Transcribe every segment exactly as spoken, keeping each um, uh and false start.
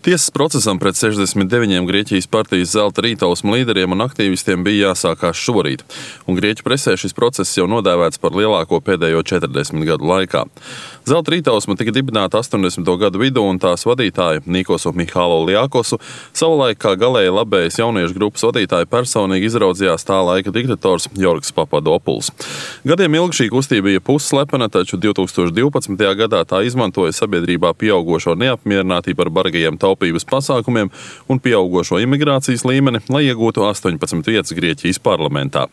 Tiesas procesam pret sešdesmit deviņiem Grieķijas partijas Zelta rītausma līderiem un aktīvistiem bija jāsākās šorīt, un Grieķu presē šis process jau nodēvēts par lielāko pēdējo četrdesmit gadu laikā. Zelta rītausma tika dibināta astoņdesmito gadu vidū, un tās vadītāju Nikosu Mihalogliakosu savulaik kā galēji labējas jauniešu grupas vadītāju personīgi izraudzījās tā laika diktators Jorgs Papadopuls. Gadiem ilgi šī kustība bija pusslepena, taču divtūkstoš divpadsmitajā gadā tā izmantoja sabiedrībā pieaugošo neapmierinātību ar bargajiem taupības pasākumiem un pieaugošo imigrācijas līmeni, lai iegūtu astoņpadsmit vietas Grieķijas parlamentā.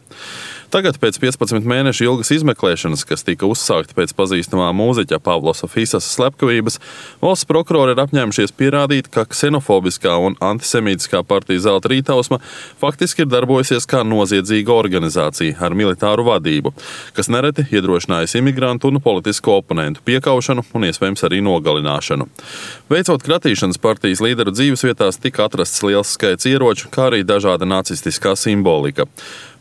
Tagad, pēc piecpadsmit mēnešu ilgas izmeklēšanas, kas tika uzsākta pēc pazīstamā mūziķa Pavlosa Fisasa slepkavības, valsts prokurori ir apņēmušies pierādīt, ka ksenofobiskā un antisemītiskā partija Zelta rītausma faktiski ir darbojusies kā noziedzīga organizācija ar militāru vadību, kas nereti iedrošinājusi imigrantu un politisku oponentu piekaušanu un iespējams arī nogalināšanu. Veicot kratīšanas partijas līderu dzīvesvietās, tika atrasts liels skaits ieroču, kā arī dažāda nacistiskā simbolika.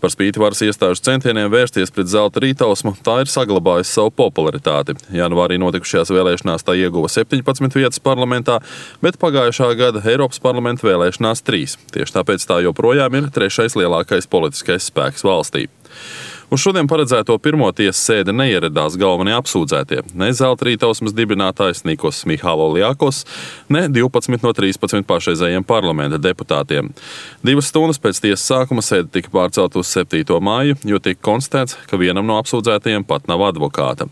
Par spīti varas iestāžu centieniem vērsties pret Zelta rītausmu, tā ir saglabājusi savu popularitāti. Janvārī notikušajās vēlēšanās tā ieguva septiņpadsmit vietas parlamentā, bet pagājušā gada Eiropas parlamenta vēlēšanās trīs. Tieši tāpēc tā joprojām ir trešais lielākais politiskais spēks valstī. Uz šodien paredzēto pirmo tiesas sēdi neieradās galvenie apsūdzētie, ne Zelta rītausmas dibinātājs Nikos Mihalogliakos, ne divpadsmit no trīspadsmit pašreizējiem parlamenta deputātiem. Divas stundas pēc tiesas sākuma sēde tika pārcelt uz septīto māju, jo tika konstatēts, ka vienam no apsūdzētajiem pat nav advokāta.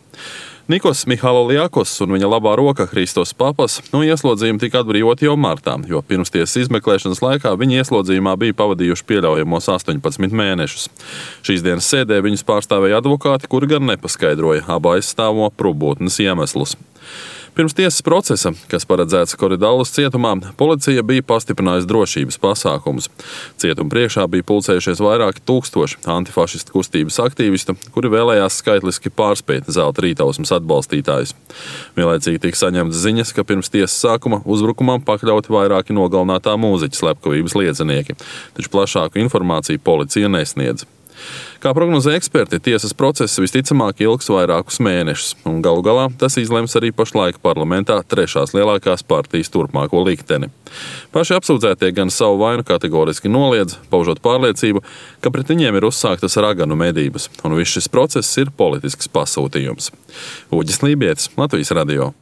Nikos Mihalogliakos un viņa labā roka Hristos Papas no ieslodzījuma tika atbrīvoti jau martā, jo pirmstiesas izmeklēšanas laikā viņi ieslodzījumā bija pavadījuši pieļaujamos astoņpadsmit mēnešus. Šīs dienas sēdē viņus pārstāvēja advokāti, kuri gan nepaskaidroja abu aizstāvo probūtnes iemeslus. Pirms tiesas procesa, kas paredzēts Koridallas cietumā, policija bija pastiprinājusi drošības pasākumus. Cietuma priekšā bija pulcējušies vairāki tūkstoši antifašistu kustības aktīvistu, kuri vēlējās skaitliski pārspēt Zelta rītausmas atbalstītājus. Vienlaicīgi tika saņemtas ziņas, ka pirms tiesas sākuma uzbrukumam pakļauti vairāki nogalinātā mūziķa slepkavības liecinieki, taču plašāku informāciju policija nesniedz. Kā prognozē eksperti, tiesas process visticamāk ilgs vairākus mēnešus, un galu galā tas izlems arī pašlaik parlamentā trešās lielākās partijas turpmāko likteni. Paši apsūdzētie gan savu vainu kategoriski noliedz, paužot pārliecību, ka pret viņiem ir uzsāktas raganu medības, un viss šis process ir politisks pasūtījums. Uģis Lībietis, Latvijas radio.